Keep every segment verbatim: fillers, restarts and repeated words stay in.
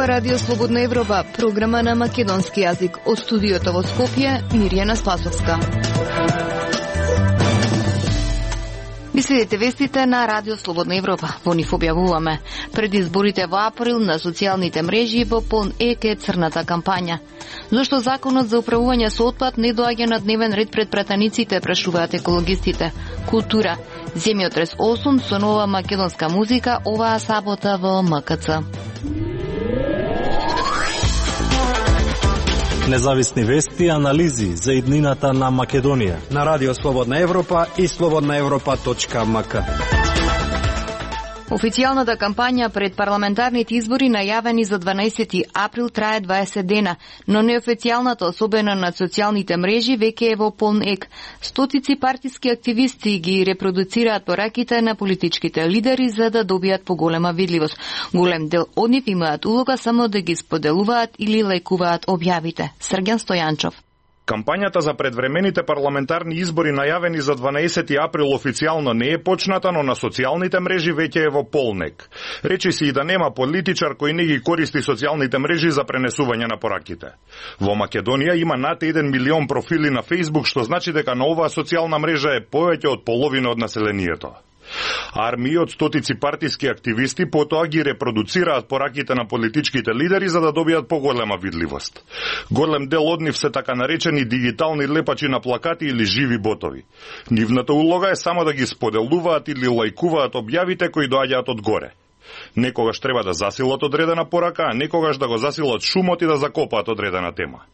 Ова радио Слободна Европа, програма на македонски јазик. Од студиото во Скопје, Мирјана Спасовска. Ви следите вестите на радио Слободна Европа. Во нив објавуваме. Пред изборите во април на социјалните мрежи во полн ек е црната кампања. Зошто законот за управување со отпад не доаѓа на дневен ред пред пратениците, прашуваат екологистите. Култура. Земјотрес осум со нова македонска музика оваа сабота во М К Ц. Независни вести и анализи за иднината на Македонија на радио Слободна Европа и слободна европа точка м к. Официјалната кампања пред парламентарните избори најавени за дванаесети април трае дваесет дена, но неофицијалната, особено на социјалните мрежи, веќе е во полн ек. Стотици партиски активисти ги репродуцираат пораките на политичките лидери за да добијат поголема видливост. Голем дел од нив имаат улога само да ги споделуваат или лајкуваат објавите. Срѓан Стојанчов. Кампањата за предвремените парламентарни избори најавени за дванаесети април официјално не е почната, но на социјалните мрежи веќе е во полнек. Речи се и да нема политичар кој не ги користи социјалните мрежи за пренесување на пораките. Во Македонија има над еден милион профили на Facebook, што значи дека на оваа социјална мрежа е повеќе од половина од населението. Армии од стотици партиски активисти потоа ги репродуцираат пораките на политичките лидери за да добијат поголема видливост. Голем дел од нив се така наречени дигитални лепачи на плакати или живи ботови. Нивната улога е само да ги споделуваат или лајкуваат објавите кои доаѓаат од горе. Некогаш треба да засилат одредена порака, а некогаш да го засилат шумот и да закопаат одредена тема.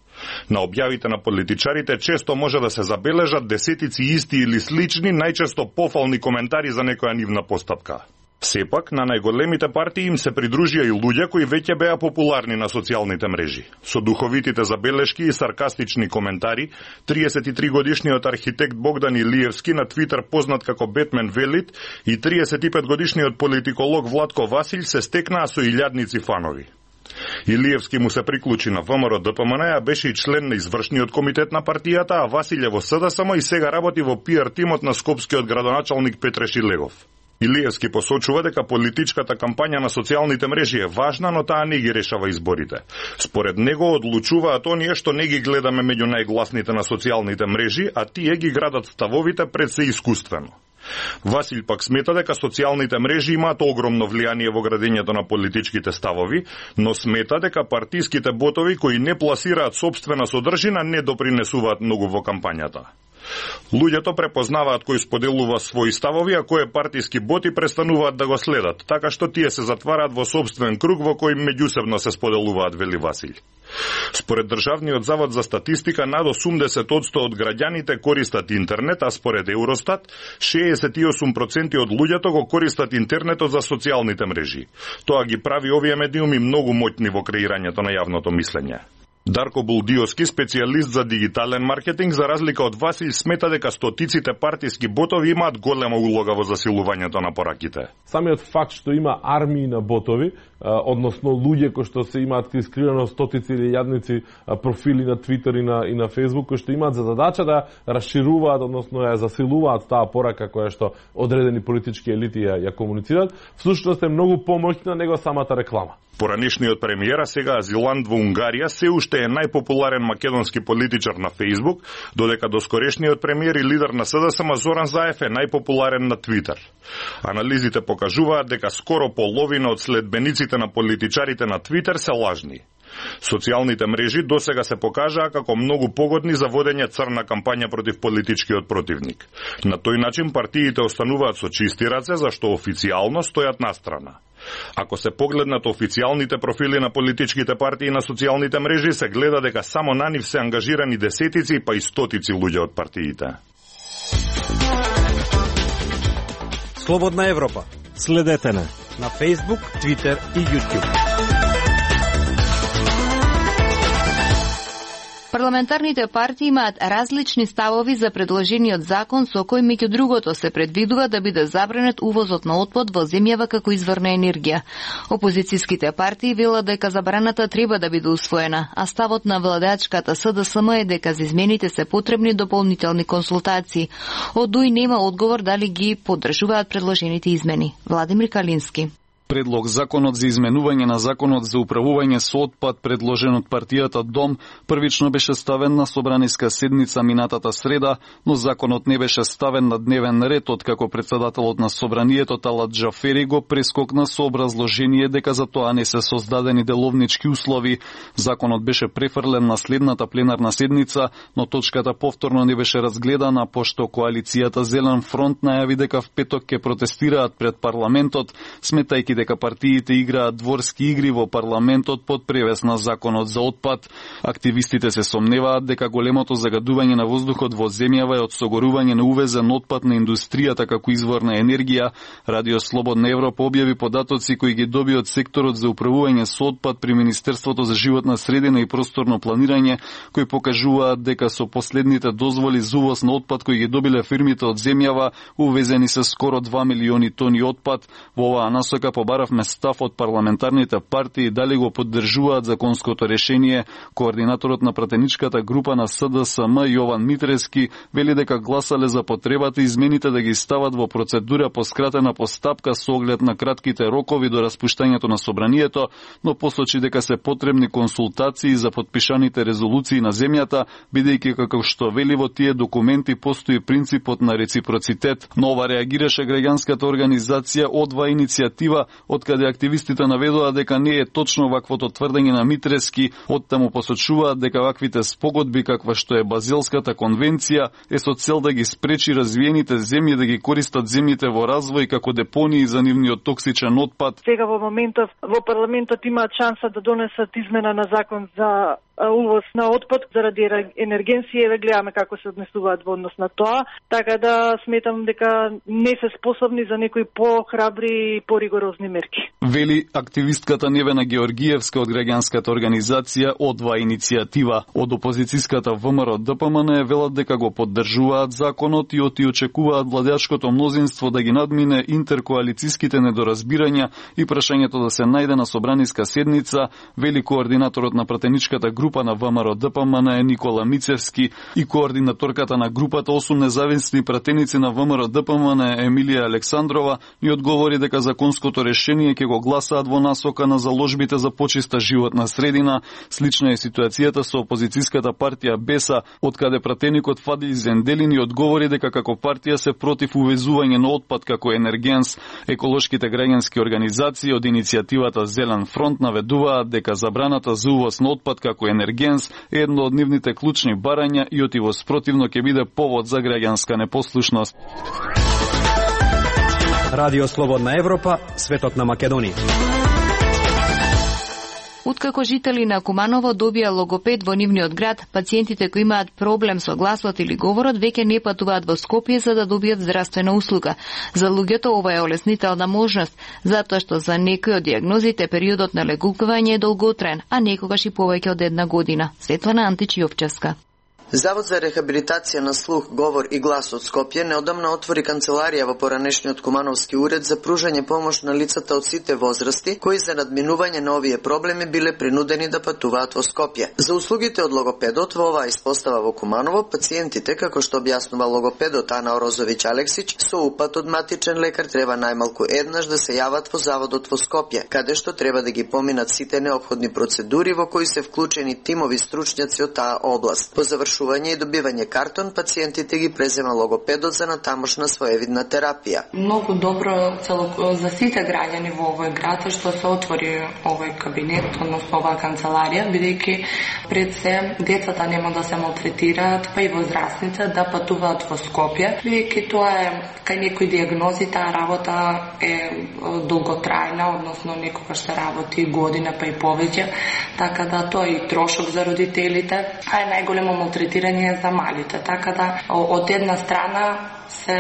На објавите на политичарите често може да се забележат десетици исти или слични, најчесто пофални коментари за некоја нивна постапка. Сепак, на најголемите партии им се придружија и луѓе кои веќе беа популарни на социјалните мрежи. Со духовитите забелешки и саркастични коментари, триесет и три годишниот архитект Богдан Илиевски, на Твитер познат како Бетмен Велит, и триесет и пет годишниот политиколог Владко Василј се стекнаа со илјадници фанови. Илиевски му се приклучи на Вэ М Р Д П М Н, а беше и член на извршниот комитет на партијата, а Василј е во С Д С М и сега работи во пи Р тимот на скопскиот градоначалник Петре Шилегов. Илиевски посочува дека политичката кампања на социјалните мрежи е важна, но таа не ги решава изборите. Според него одлучуваат оние што не ги гледаме меѓу најгласните на социјалните мрежи, а тие ги градат ставовите пред се искуствено. Василј пак смета дека социјалните мрежи имаат огромно влијание во градењето на политичките ставови, но смета дека партиските ботови кои не пласираат собствена содржина не допринесуваат многу во кампањата. Луѓето препознаваат кој споделува своји ставови, а кој партиски боти престануваат да го следат, така што тие се затвараат во собствен круг во кој меѓусебно се споделуваат, вели Василј. Според Државниот завод за статистика, над осумдесет одсто од граѓаните користат интернет, а според Евростат, шеесет и осум проценти од луѓето го користат интернетот за социјалните мрежи. Тоа ги прави овие медиуми многу моќни во креирањето на јавното мислење. Дарко Булдиовски, специјалист за дигитален маркетинг, за разлика од Василј, смета дека стотиците партиски ботови имаат голема улога во засилувањето на пораките. Самиот факт што има армии на ботови, односно луѓе кои што се имаат искривено стотици или јадници профили на Твитер и на и на Фејсбук, кои што имаат за задача да расшируваат, односно ја засилуваат таа порака која што одредени политички елити ја, ја комуницираат, всушност е многу помоќна него самата реклама. Поранешниот премиер, а сега азилант во Унгарија, се уште е најпопуларен македонски политичар на Фејсбук, додека доскорешниот премиер и лидер на С Д С М Зоран Заев е најпопуларен на Твитер. Анализите покажуваат дека скоро половина од следбениците на политичарите на Твитер се лажни. Социјалните мрежи досега се покажаа како многу погодни за водење црна кампања против политичкиот противник. На тој начин партиите остануваат со чисти раце, зашто официјално стојат настрана. Ако се погледнат официјалните профили на политичките партии на социјалните мрежи, се гледа дека само на нив се ангажирани десетици па и стотици луѓе од партиите. Слободна Европа. Следете на на Facebook, Twitter и YouTube. Парламентарните партии имаат различни ставови за предложениот закон со кој меѓу другото се предвидува да биде забранет увозот на отпад во земјава како изворна енергија. Опозицијските партии велат дека забраната треба да биде усвоена, а ставот на владеачката С Д С М е дека за измените се потребни дополнителни консултации. Од ДУИ нема одговор дали ги поддржуваат предложените измени. Владимир Калински. Предлог законот за изменување на законот за управување со отпад, предложен од партијата Дом, првично беше ставен на собраниска седница минатата среда, но законот не беше ставен на дневен ред откако председателот на собранието Талат Джафери го прескокна со образложение дека за тоа не се создадени деловнички услови. Законот беше префрлен на следната пленарна седница, но точката повторно не беше разгледана, пошто коалицијата Зелен фронт најави дека в петок ќе протестираат пред парламентот, сметајќи дека партиите играат дворски игри во парламентот под превес на законот за отпад. Активистите се сомневаат дека големото загадување на воздухот во земјава е од согорување на увезен отпад на индустријата како извор на енергија. Радио Слободна Европа објави податоци кои ги доби од секторот за управување со отпад при Министерството за животна средина и просторно планирање, кои покажуваат дека со последните дозволи за увоз на отпад кои ги добиле фирмите од земјава, увезени се скоро два милиони тони отпад. Во оваа насока побаравме став од парламентарните партии дали го поддржуваат законското решение. Координаторот на пратеничката група на С Д С М Јован Митрески вели дека гласале за потребата измените да ги стават во процедура по скратена постапка со оглед на кратките рокови до распуштањето на собранието, но посочи дека се потребни консултации за подпишаните резолуции на земјата, бидејќи како што вели во тие документи постои принципот на реципроцитет. Нова реагираше граѓанската организација Одва иницијатива, откаде активистите наведоа дека не е точно ваквото тврдење на Митрески, оттаму посочуваат дека ваквите спогодби каква што е Базелската конвенција е со цел да ги спречи развиените земји да ги користат земјите во развој како депонии за нивниот токсичен отпад. Сега во моментов во парламентот имаат шанса да донесат измена на закон за увоз на отпад заради енергенција, ве гледаме како се однесуваат во однос на тоа, така да сметам дека не се способни за некои похрабри и поригорозни мерки. Вели активистката Невена Георгиевска од граѓанската организација Одва иницијатива. Од опозицијската В М Р Д П М Н велат дека го поддржуваат законот и оти очекуваат владеачкото мнозинство да ги надмине интеркоалицијските недоразбирања и прашањето да се најде на собраниска седница, вели координаторот на пратеничката група на В М Р Д П М Н е Никола Мицевски и координаторката на групата осум независни пратеници на В М Р Д П М Н Емилија Александрова и одговори дека законското решение ќе го гласаат во насока на заложбите за почиста животна средина. Слична е ситуацијата со опозицијската партија Беса, откаде пратеникот Фадил Зенделини одговори дека како партија се против увезување на отпад како енергенс. Еколошките граѓански организации од иницијативата Зелен фронт наведуваат дека забраната за увоз на отпад како енергенс е едно од нивните клучни барања и оти во спротивно ќе биде повод за граѓанска непослушност. Радио Слободна Европа, светот на Македонија. Откако жители на Куманово добија логопед во нивниот град, пациентите кои имаат проблем со гласот или говорот веќе не патуваат во Скопје за да добијат здравствена услуга. За луѓето ова е олеснителна можност, затоа што за некои од диагнозите периодот на легување е долготраен, а некогаш и повеќе од една година. Светлана Антич Јовчевска. Завод за рехабилитација на слух, говор и глас од Скопје неодамна отвори канцеларија во поранешниот Кумановски уред за пружање помош на лицата од сите возрасти кои за надминување на овие проблеми биле принудени да патуваат во Скопје. За услугите од логопедот во оваа испостава во Куманово, пациентите, како што објаснува логопедот Ана Орозовиќ Алексич, со упат од матичен лекар треба најмалку еднаш да се јават во заводот во Скопје, каде што треба да ги поминат сите неопходни процедури во кои се вклучени тимови стручњаци од таа област. По завршување и добивање картон, пациентите ги презема логопедот за натамошна своевидна терапија. Многу добро цело за сите граѓани во овој град што се отвори овој кабинет, односно оваа канцеларија, бидејќи пред се децата нема да се малтретираат, па и возрастните да патуваат во Скопје, бидејќи тоа е кај некои диагнози таа работа е долготрајна, односно некогаш се работи година па и повеќе, така да тоа е и трошок за родителите, а е најголемо малтретирање за малите, така да од една страна се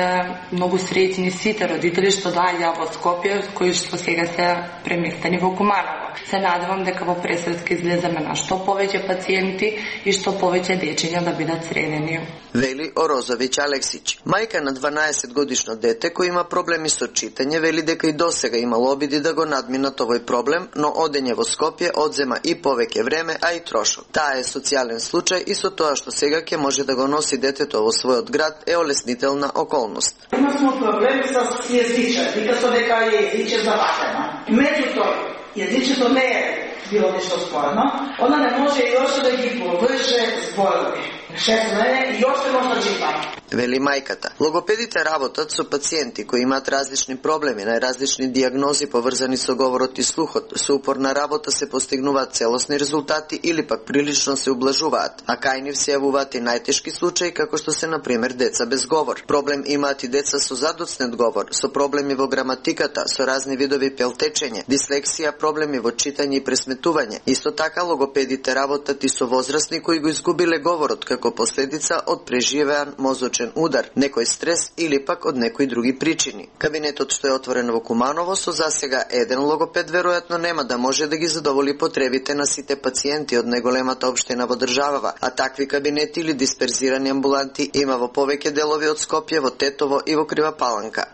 многу среќни сите родители што доаѓаа во Скопје, кои што сега се преместени во Куманово. Се надевам дека во пресвет ќе излеземе на што повеќе пациенти и што повеќе дечиња да бидат средени. Вели Орозовиќ Алексич. Мајка на дванаесет годишно дете кој има проблеми со читање вели дека и досега имало обиди да го надминат овој проблем, но одење во Скопје одзема и повеќе време, а и трошок. Таа е социјален случај и со тоа што сега ќе може да го носи детето во својот град е олеснителна околност. Има смо проблеми со јазиче, вика со дека јазиче заватено. и меѓутоа јазичето не е било нешто спорно, она не може и още да ги површе зборови. Шестно е и още може да чита. Вели мајката. Логопедите работат со пациенти кои имаат различни проблеми, најразлични дијагнози поврзани со говорот и слухот. Со упорна работа се постигнуваат целосни резултати или пак прилично се ублажуваат, а кај нив се јавуваат и најтешки случаи како што се на пример деца без говор. Проблем имаат и деца со задоцнет говор, со проблеми во граматиката, со разни видови пелтечење, дислексија, проблеми во читање и пресметување. Исто така логопедите работат и со возрастни кои го изгубиле говорот како последица од преживеан мозочен удар, некој стрес или пак од некои други причини. Кабинетот што е отворен во Куманово со засега еден логопед веројатно нема да може да ги задоволи потребите на сите пациенти од најголемата општина во државава, а такви кабинети или дисперзирани амбуланти има во повеќе делови од Скопје, во Тетово и во Крива Паланка.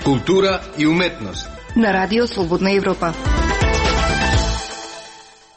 Култура и уметност на Радио Слободна Европа.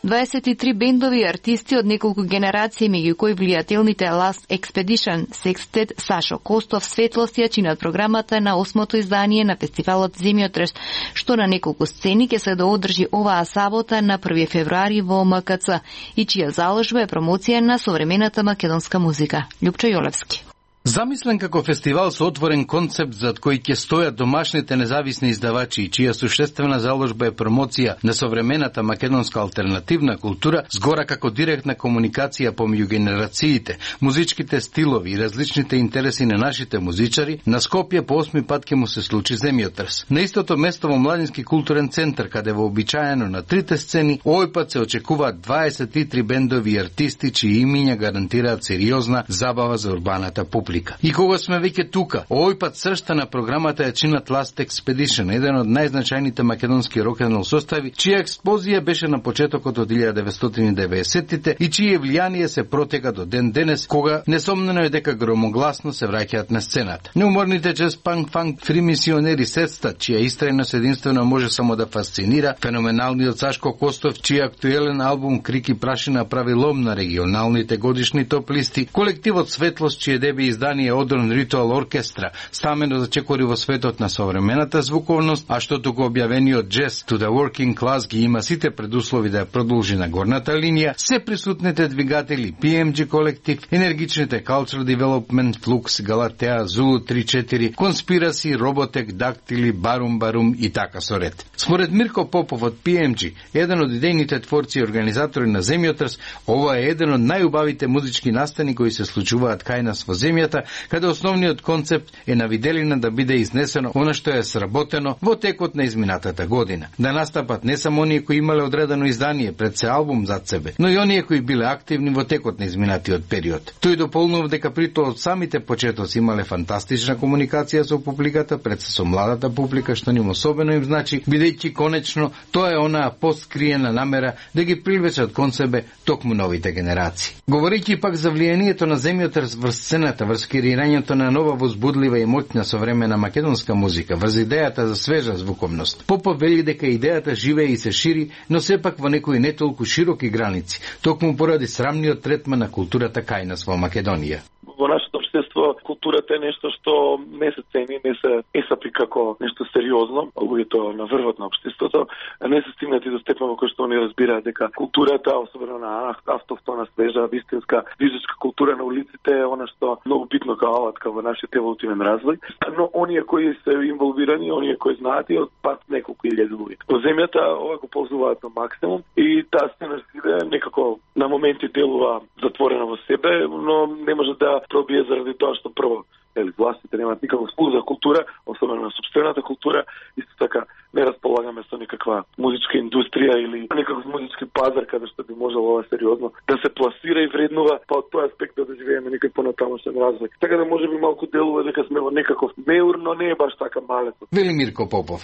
дваесет и три бендови и артисти од неколку генерации, меѓу кои влијателните Last Expedition, Sextet, Сашо Костов, Светлост ја чинат програмата на осмото издание на фестивалот Земјотрес, што на неколку сцени ќе се доодржи оваа сабота на први февруари во М К Ц и чија заложба е промоција на современата македонска музика. Љупчо Јолевски. Замислен како фестивал со отворен концепт зад кој ќе стојат домашните независни издавачи и чија суштествена заложба е промоција на современата македонска алтернативна култура, згора како директна комуникација помеѓу генерациите, музичките стилови и различните интереси на нашите музичари, на Скопје по осми пат ќе му се случи земјотрес. На истото место во Младински културен центар, каде вообичаено на трите сцени, овој пат се очекуваат дваесет и три бендови и артисти чии имиња гарантираат сериозна забава за урбаната публика. И кога сме веќе тука, овој пат сршта на програмата ја чинат Last Expedition, еден од најзначајните македонски рок-н-рол состави, чија експозија беше на почетокот од илјада деветстотини и деветдесеттите и чие влијание се протега до ден денес, кога несомнено е дека громогласно се враќаат на сцената. Неуморните джез, панк, фанк, фримисионери Сетста, чија истрајност единствено може само да фасцинира, феноменалниот Сашко Костов, чија актуелен албум Крик и прашина прави лом на регионалните годишни топ листи, колективот Светлост, чие деби издание Одрон Ритуал Оркестра, стамено зачекори во светот на современата звуковност, а што туку објавениот Jazz to the Working Class ги има сите предуслови да ја продолжи на горната линија, се присутните двигатели Пи Ем Джи колектив, енергичните Cultural Development, Flux, Галатеа, Зулу три четири, Конспираси, Роботек, Дактили, Барум Барум и така со ред. Според Мирко Попов од Пи Ем Джи, еден од идејните творци и организатори на Земјотрес, ова е еден од најубавите музички настани кои се случуваат кај нас во земјата, каде основниот концепт е на виделина да биде изнесено она што е сработено во текот на изминатата година. Да настапат не само оние кои имале одредено издание пред се албум зад себе, но и оние кои биле активни во текот на изминатиот период. Тој дополнува дека притоа од самите почетоци имале фантастична комуникација со публиката, пред се со младата публика, што ним особено им значи, бидејќи конечно тоа е онаа поскриена намера да ги привлечат кон себе токму новите генерации. Говорејќи пак за влијанието на Земјотрес врз сцената, врз креирањето на нова возбудлива и моќна современа македонска музика, врз идејата за свежа звуковност. Попов вели дека идејата живее и се шири, но сепак во некои не толку широки граници, токму поради срамниот третман на културата кај нас во Македонија. Во нашето општество културата е нешто што не се цени, не се есапи како нешто сериозно, луѓето на врвот на општеството, не се стигнати до степен во кој што они разбираат дека културата, особено на автохтона, свежа, вистинска, движечка култура на улиците е она што многу битно као алатка во нашиот еволутивен развој, но оние кои се инволвирани, оние кои знаат и од пат неколку илјади луѓе. Во земјата ова го ползуваат на максимум и таа сцена некако на моменти делува затворена во себе, но не може да пробие заради тоа што прво ели властите немаат никаков вкус за култура, особено на сопствената култура, исто така не располагаме со никаква музичка индустрија или некаков музички пазар каде што би можело ова сериозно да се пласира и вреднува, па од тој аспект да доживееме некој понатамошен развој. Така да може би малку делува дека сме во некаков меур, но не е баш така малецо. Вели Мирко Попов.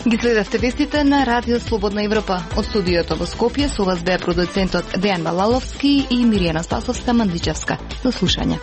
Ги следевте вестите на Радио Слободна Европа. Од студиото во Скопје со вас беа продуцентот Дејан Балаловски и Миријана Спасовска Мандличевска. До слушање.